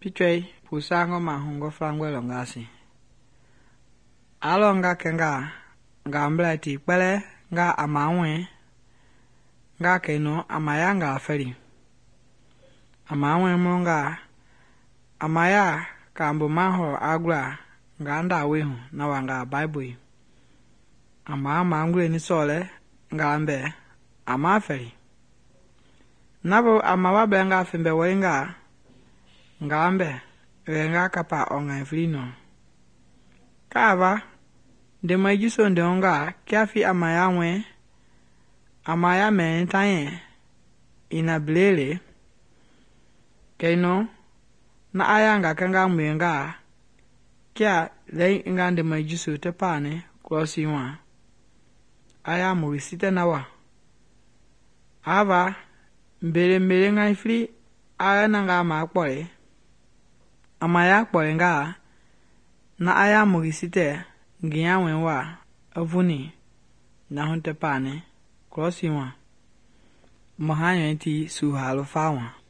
Pichwei pusangɔ mahungɔ flangɔe lɔngasi. Alɔ nga kɛnga ngambla ti kpɛlɛ nga amawɛ nga kɛnɔ amaya nga fɛli. Amawɛ mɔnga amaya kambo mahɔ agla nga ndawe hu na wanga Bible. Ama ngule ni sɔlɛ ngambɛ ama fɛli. Nabo amawa bɛnga fembɛ wɔinga ngambɛ wenga kapa ɔnga flino. Kava ndema jiso ndonga kiafi amaya wɛ amaya mɛ tanyɛ ina blele kɛnɔ na aya nga kanga mwenga kia lei nga ndema jiso te pane klosi wa aya morisite na wa ava mbele nga fri aya na nga ma kpɔle amaya kpɔle nga na aya morisite ngiya wɛ wa avuni na hunte pane klosi wa mahanyɛ ti su halo fa wa.